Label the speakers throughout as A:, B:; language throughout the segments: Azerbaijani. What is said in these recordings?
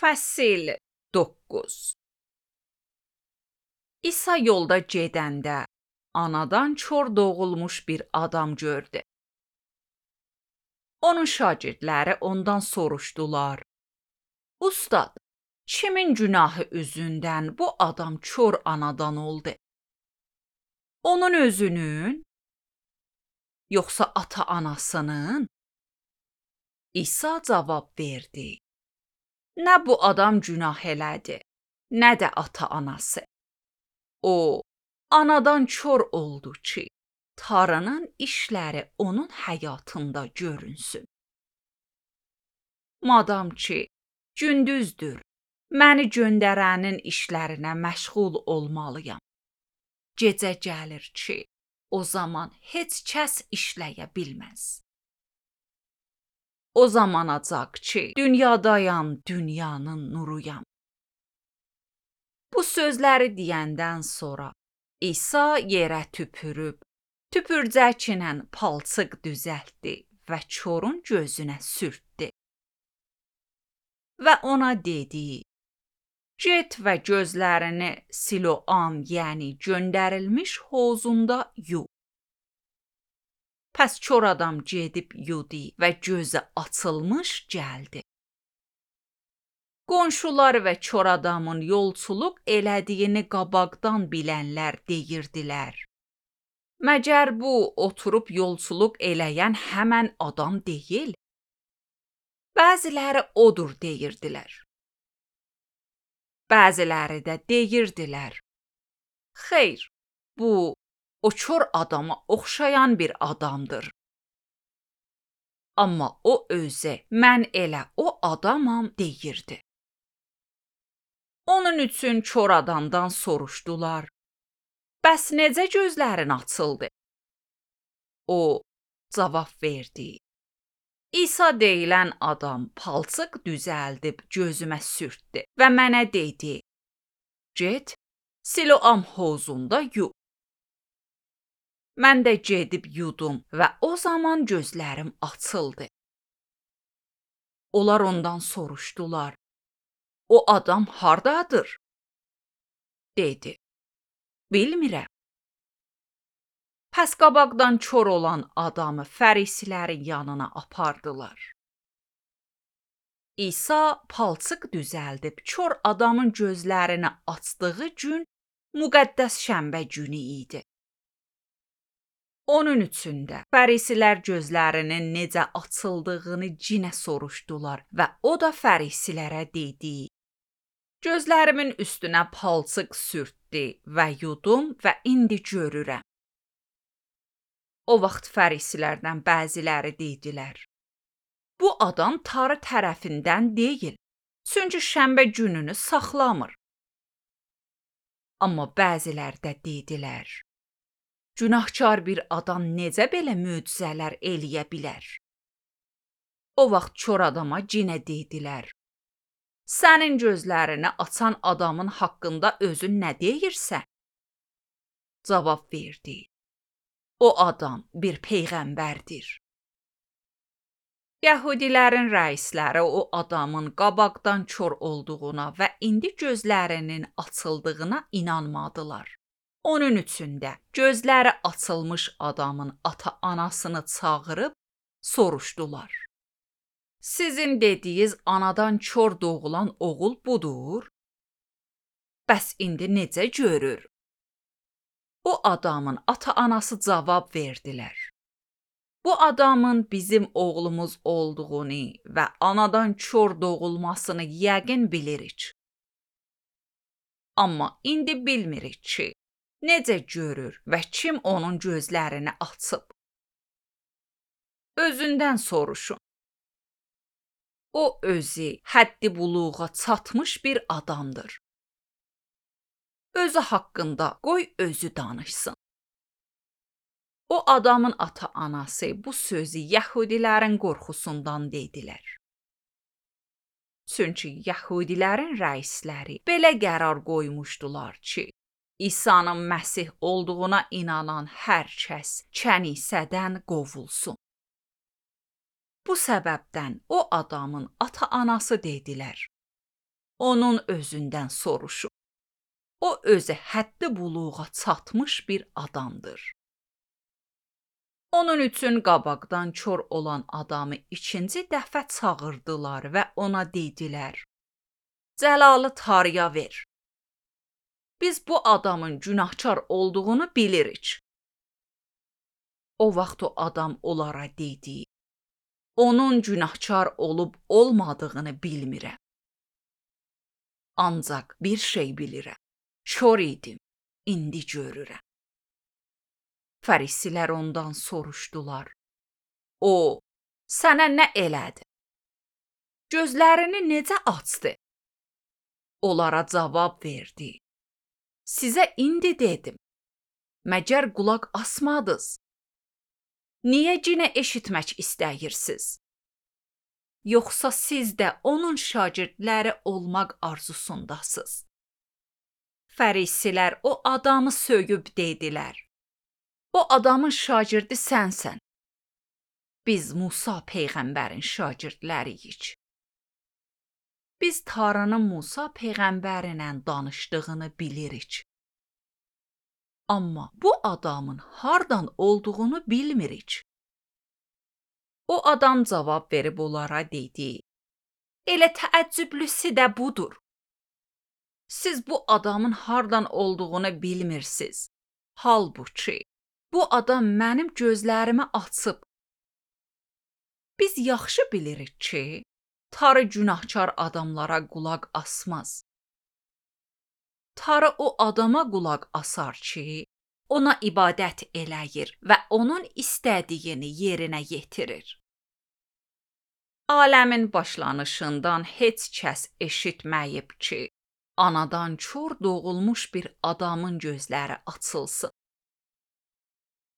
A: Fəsil 9. İsa yolda gedəndə anadan çor doğulmuş bir adam gördü. Onun şagirdləri ondan soruşdular: "Ustad, kimin günahı üzündən bu adam çor anadan oldu? Onun özünün, yoxsa ata-anasının?" İsa cavab verdi: "Nə bu adam günah elədi, nə də ata-anası. O, anadan kör oldu ki, Tanrının işləri onun həyatında görünsün. Madam ki, gündüzdür, məni göndərənin işlərinə məşğul olmalıyam. Gecə gəlir ki, o zaman heç kəs işləyə bilməz. O zamanacaq ki, dünyadayam, dünyanın nuruyam." Bu sözləri deyəndən sonra İsa yerə tüpürüb, tüpürcəklə palçıq düzəltdi və korun gözünə sürtdü. Və ona dedi: "Get və gözlərini Siloam, yəni göndərilmiş hovuzunda yu." Pəs kör adam gedib yudu və gözü açılmış gəldi. Qonşular və kör adamın yolçuluq elədiyini qabaqdan bilənlər deyirdilər: "Məgər bu oturub yolçuluq eləyən həmən adam deyil?" Bəziləri odur deyirdilər. Bəziləri də deyirdilər: "Xeyr, bu o kör adama oxşayan bir adamdır." Amma o özü "Mən elə o adamam" deyirdi. Onun üçün kör adamdan soruşdular: "Bəs necə gözlərin açıldı?" O cavab verdi: "İsa deyilən adam palçıq düzəldib gözümə sürtdü və mənə dedi: Get, Siloam hovuzunda yu." Mən də gedib yudum və o zaman gözlərim açıldı. Onlar ondan soruşdular: "O adam hardadır?" Dedi: "Bilmirəm." Pəs qabaqdan kör olan adamı fərisilərin yanına apardılar. İsa palçıq düzəldib kör adamın gözlərini açdığı gün müqəddəs şənbə günü idi. Onun üçün də fərisilər gözlərinin necə açıldığını cinə soruşdular və o da fərisilərə dedi: "Gözlərimin üstünə palçıq sürtdü və yudum və indi görürəm." O vaxt fərisilərdən bəziləri dedilər: "Bu adam Tanrı tərəfindən deyil, çünki şənbə gününü saxlamır." Amma bəziləri də dedilər: "Günahkar bir adam necə belə möcüzələr eləyə bilər?" O vaxt kör adama cinə dedilər: "Sənin gözlərini açan adamın haqqında özün nə deyirsən?" Cavab verdi: "O adam bir peyğəmbərdir." Yəhudilərin rəisləri o adamın qabaqdan kör olduğuna və indi gözlərinin açıldığına inanmadılar. Onun üçün də gözləri açılmış adamın ata-anasını çağırıb soruşdular: "Sizin dediyiz anadan kör doğulan oğul budur? Bəs indi necə görür?" O adamın ata-anası cavab verdilər: "Bu adamın bizim oğlumuz olduğunu və anadan kör doğulmasını yəqin bilirik. Amma indi bilmirik ki, necə görür və kim onun gözlərini açıb. Özündən soruşun. O özü həddi buluğa çatmış bir adamdır. Özü haqqında qoy özü danışsın." O adamın ata-anası bu sözü Yəhudilərin qorxusundan dedilər. Çünki Yəhudilərin rəisləri belə qərar qoymuşdular ki, İsa'nın Məsih olduğuna inanan hər kəs kənisədən qovulsun. Bu səbəbdən o adamın ata-anası dedilər: onun özündən soruşun. O özü həddi buluğa çatmış bir adamdır. Onun üçün qabaqdan kör olan adamı ikinci dəfə çağırdılar və ona dedilər: Cəlalı tarıya ver. Biz bu adamın günahkar olduğunu bilirik. O vaxt o adam onlara dedi: Onun günahkar olub olmadığını bilmirəm. Ancaq bir şey bilirəm. Kör idim, indi görürəm. Fərisilər ondan soruşdular: O, sənə nə elədi? Gözlərini necə açdı? Onlara cavab verdi: Sizə indi dedim. Məgər qulaq asmadınız? Niyə yenə eşitmək istəyirsiniz? Yoxsa siz də onun şagirdləri olmaq arzusundasınız? Fərisilər o adamı söyüb dedilər: O adamın şagirdi sənsən. Biz Musa peyğəmbərin şagirdləriyik. Biz Tanrının Musa peyğəmbərlə danışdığını bilirik. Amma bu adamın hardan olduğunu bilmirik. O adam cavab verib onlara dedi: Elə təəccüblüsü də budur. Siz bu adamın hardan olduğunu bilmirsiniz. Halbuki bu adam mənim gözlərimi açıb. Biz yaxşı bilirik ki, Tanrı günahkar adamlara qulaq asmaz. Tanrı o adama qulaq asar ki, ona ibadət eləyir və onun istədiyini yerinə yetirir. Aləmin başlanışından heç kəs eşitməyib ki, anadan kör doğulmuş bir adamın gözləri açılsın.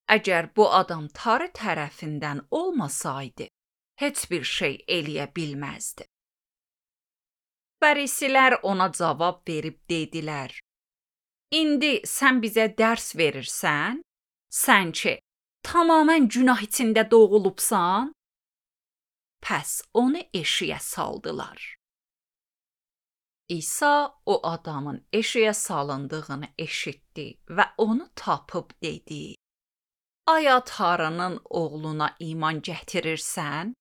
A: Əgər bu adam Tanrı tərəfindən olmasaydı, heç bir şey eləyə bilməzdi. Fərisilər ona cavab verib dedilər: İndi sən bizə dərs verirsən? Sən ki, tamamən günah içində doğulubsan? Pəs onu eşiyə saldılar. İsa o adamın eşiyə salındığını eşitdi və onu tapıb dedi: Aya Tanrının oğluna iman gətirirsən?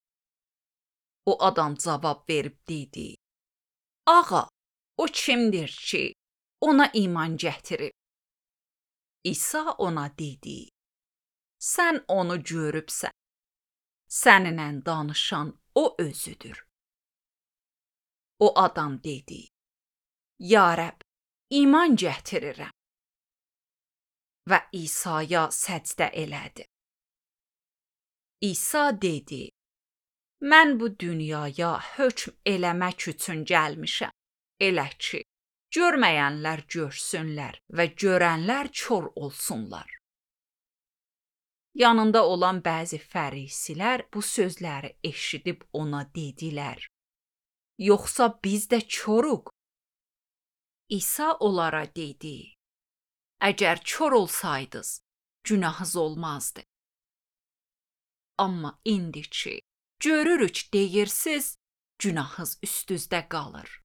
A: O adam cavab verib dedi: Ağa, o kimdir ki, ona iman gətirib? İsa ona dedi: Sən onu görübsən. Səninlə danışan o özüdür. O adam dedi: Ya Rəbb, iman gətirirəm. Və İsa'ya səcdə elədi. İsa dedi: Mən bu dünyaya hökm eləmək üçün gəlmişəm. Elə ki, görməyənlər görsünlər və görənlər kör olsunlar. Yanında olan bəzi fərisilər bu sözləri eşidib ona dedilər: Yoxsa biz də körük? İsa onlara dedi: Əgər kör olsaydınız, günahınız olmazdı. Amma indi ki, görürük deyirsiniz, günahınız üstünüzdə qalır.